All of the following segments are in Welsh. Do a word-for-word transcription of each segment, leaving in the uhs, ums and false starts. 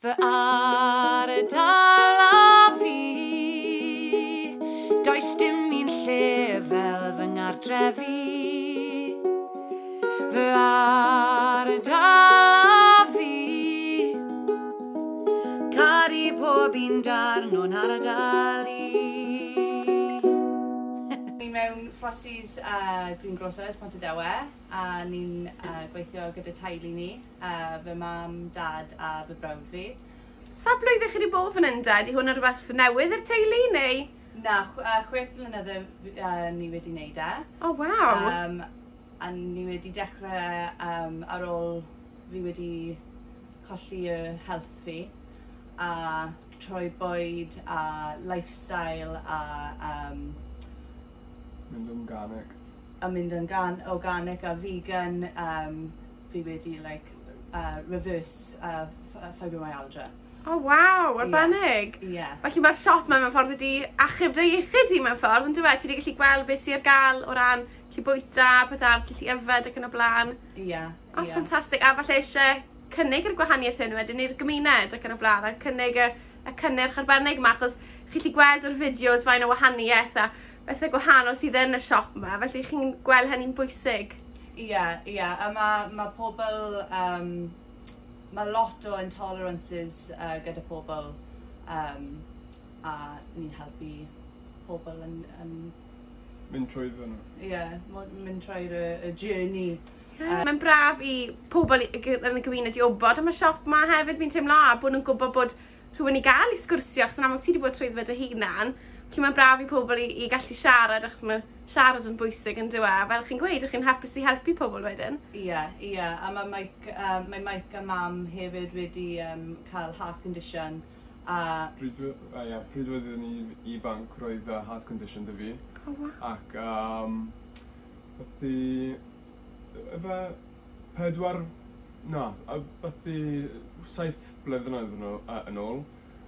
Fy ardal a fi. Does dim un lle fel fy nghartref i. Fy ardal a fi. Caru pob un darn o'n ardal i. Ni mewn Frosty's uh, Greengrocers, Pontardawe, a ni'n uh, gweithio gyda teulu ni, uh, fy mam, dad a fy brawd fi. Sa blwyddyn chi wedi bod fan hyn, 'da? Di hwn yn rhywbeth newydd i'r teulu, neu? Na, chw uh, chwech blynedd uh, ni wedi wneud e. Oh, waw. Um, a ni wedi dechrau um, ar ôl fi wedi colli y health fi a troi bwyd a lifestyle a um, Mynd organic. A mynd yn gan, organic a vegan, um, fi wedi like, uh, reverse uh, fibromyalgia. Oh, waw, arbennig. Ie. Yeah. Felly mae'r siop yma mewn ffordd wedi achub dy iechyd di mewn ffordd, yn dweud? Ti wedi gallu gweld beth sydd ar gael o ran gallu bwyta, peth arall, gallu yfed ac yn y blaen. Ie. Yeah, Oh, yeah. ffantastig. A falle eisiau cynnig yr gwahaniaeth hyn wedyn i'r gymuned ac yn y blaen, a cynnig y, y cynnyrch arbennig yma, achos chi'n gallu gweld o'r fideos fain o wahaniaeth a bethau gwahanol sydd yn y siop yma, felly chi'n gweld hynny'n bwysig. Ie, yeah, ie. Yeah. A mae ma pobl... Um, mae lot o intolerances uh, gyda pobl um, a ni'n helpu pobl yn... yn Mynd trwyddo nhw. Ie, yeah, mynd trwy'r y, y journey. Uh, Mae'n braf i pobl i- yn y gymuned i wybod am y siop yma hefyd, fi'n teimlo, a bod nhw'n gwybod bod rhywun i gael i sgwrsio, achos yn amlwg ti wedi bod trwyddo fe dy hunan. Felly mae'n braf i pobl i, i gallu siarad, achos mae siarad yn bwysig yn dyw e. Fel chi'n gweud, ych chi'n hapus i helpu pobl wedyn. Ie, yeah, ie. Yeah. A mae Mike, uh, mae Mike a mam hefyd wedi um, cael heart condition. A Pryd, uh, yeah, pryd oeddwn ni ifanc, roedd uh, heart condition 'da fi. Oh, wow. Ac um, byddu, efe pedwar, na, a byddu saith blynedd yn ôl, uh, yn ôl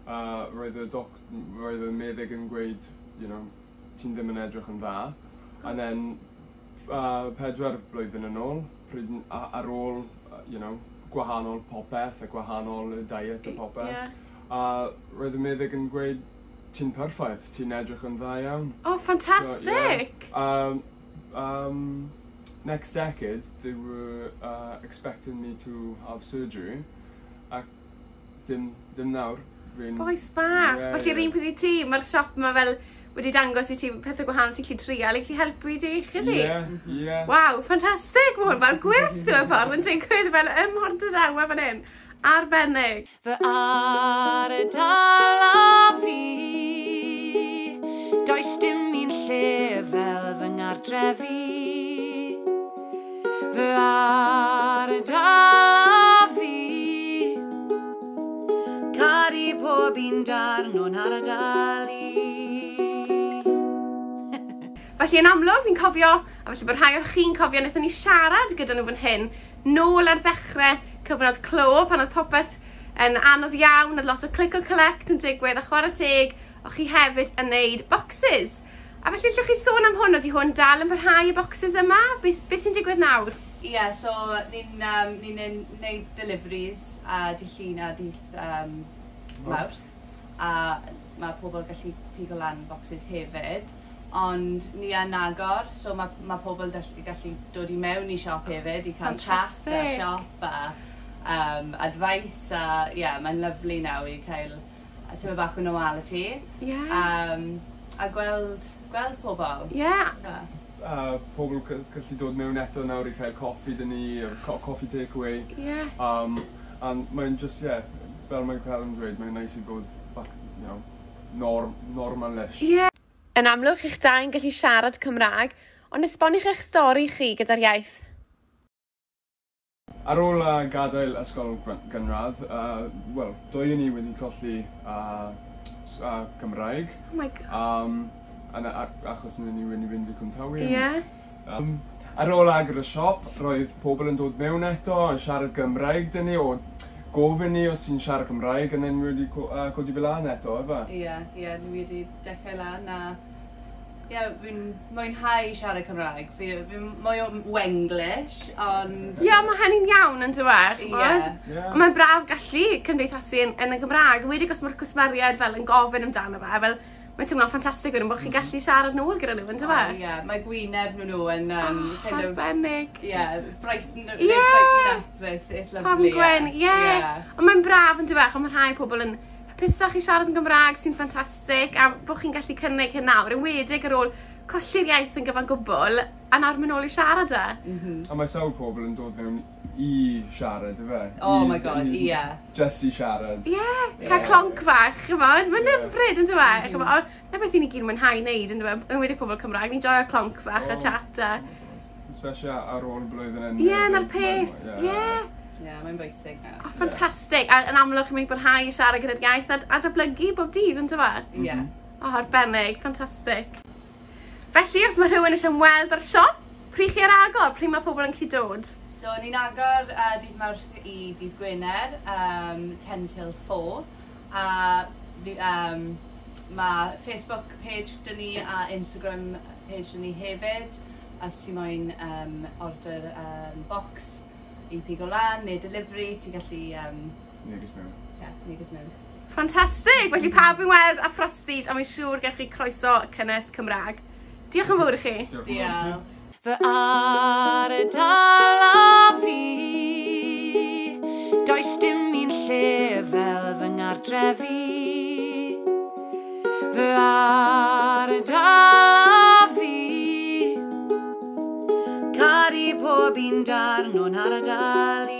uh, roedd y doc, roedd y meddyg yn gweud, you know, ti'n ddim yn edrych yn dda. And then, uh, pedwar blwyddyn yn ôl, pryd, a, ar ôl, uh, you know, gwahanol popeth a gwahanol y diet a popeth. Yeah. A roedd y meddyg yn gweud, "Ti'n perffaith, ti'n edrych yn dda iawn." Oh, ffantastig! So, yeah. um, um, next decade, they were uh, expecting me to have surgery. Ac dim, dim nawr. Fi'n Bois bach. Ie, Felly yr ie. un peth i ti, mae'r siop yma fel wedi dangos i ti pethau gwahanol ti'n gallu trial, i gallu helpu i dy iechyd di. Ie, ie. Waw, ffantastig! Mae hwn fel gwyrth mewn ffordd yn digwydd fel ym Mhontardawe fan hyn. Arbennig. Fy ardal a fi. Does dim un lle fel fy nghartref i. Fy ardal a fi. Caru pob un darn o'n ardal i. Felly yn amlwg fi'n cofio, a felly bod rhai o chi'n cofio, wnaethon ni siarad gyda nhw fan hyn, nôl ar ddechrau cyfnod clo, pan oedd popeth yn anodd iawn, oedd lot o click and collect yn digwydd, a chwarae teg, o'ch chi hefyd yn neud boxes. A felly allwch chi sôn am hwn, ydy hwn dal yn parhau y boxes yma? Be, be sy'n digwydd nawr? Ie, yeah, so ni'n um, ni neud deliveries a dydd Llun a dydd um, Mawrth. A mae pobl gallu pigo lan boxes hefyd. Ond ni yn agor, so mae ma pobl gallu, gallu dod i mewn i siop hefyd i cael chat a Fantastic. siop a um, advice a ie, yeah, mae'n lyfli nawr i cael a tyma bach o normality. Ie. Um, a gweld, gweld pobl. Ie. Yeah. Uh, pobl cy- gallu dod mewn eto nawr i cael coffi 'da ni, co coffee takeaway. Ie. Um, and mae'n just, yeah, fel mae'n cael yn dweud, mae'n nice i bod back, you know, norm, normal-ish. Ie. Yn amlwg, chi'ch dau'n gallu siarad Cymraeg, ond esboniwch eich stori chi gyda'r iaith. Ar ôl uh, gadael ysgol gyn- gynradd, uh, wel, dwy ni wedi colli uh, s- uh, Cymraeg. Oh my God. Um, a, a, achos ni wedi fynd i Cwmtawe. Ie. Um, ar ôl agor y siop, roedd pobl yn dod mewn eto yn siarad Gymraeg 'da ni, o gofyn ni os ti'n siarad Cymraeg, and then wedi co uh, codi fel lan eto, efe? Ie, ie, ni wedi dechrau lan a yeah, fi'n mwynhau siarad Cymraeg. Fi, fi'n mwy o Wenglish, ond... Ie, yeah, mae hynny'n iawn yn dweud, Ie. Ie. Ond mae'n braf gallu cymdeithasu yn, yn y Gymraeg, wedi os mae'r cwsmeriaid fel yn gofyn amdano fe, fel mae'n teimlo'n ffantastig wedyn bod chi'n gallu siarad nôl gyda nhw, yn Oh, dweud? yeah, mae gwyneb nhw nhw yn um, Oh, kind of... arbennig. Yeah, brighten, Ie. yeah. Brighten up, it's, it's lovely. Pam Gwen, ie. Yeah. Ond mae'n braf yn dweud, ond mae rhai pobl yn hapusach i siarad yn Gymraeg sy'n ffantastig, a bod chi'n gallu cynnig hyn nawr, enwedig ar ôl colli'r iaith yn gyfan gwbl, a nawr mynd nôl i siarad e. Mm -hmm. A mae sawl pobl yn dod mewn i siarad, ife? Oh I- my god, i- ie. Just i siarad. Ie, yeah, cael Ie. clonc fach, ch'mod, mae'n Ie. hyfryd yn dweud, ch'mod, ond na beth i ni gyd mwynhau wneud yn dweud, enwedig pobl Cymraeg, ni'n joio clonc fach a Oh. chat a... Especially ar ôl blwyddyn yn... Ie, na'r peth, ie. Yeah, mae'n bwysig nawr. Oh, ffantastig, a yn amlwg chi'n mynd i barhau i siarad gyda'r iaith a, a datblygu bob dydd, yn dweud? Ie. Yeah. O, oh, arbennig, ffantastig. Felly, os mae rhywun eisiau ymweld â'r siop, pryd chi ar agor, pryd mae pobl yn gallu dod? So, ni'n agor uh, dydd Mawrth i dydd Gwener, um, ten till four. A fi, um, mae Facebook page dyn ni a Instagram page dyn ni hefyd. Os ti moyn um, order um, box i pigo lan neu delivery, ti'n gallu um, Neges mewn. yeah, neges mewn. Ffantastig! Felly pawb yn weld a Frosties, a mae'n siŵr gewch chi croeso cynnes Cymraeg. Diolch yn fawr i chi. Diolch yn fawr i ti. Diolch. Fy ardal a fi. Does dim un lle fel fy nghartrefi. Fy ardal a fi. Caru pob un darn o'n ardal i.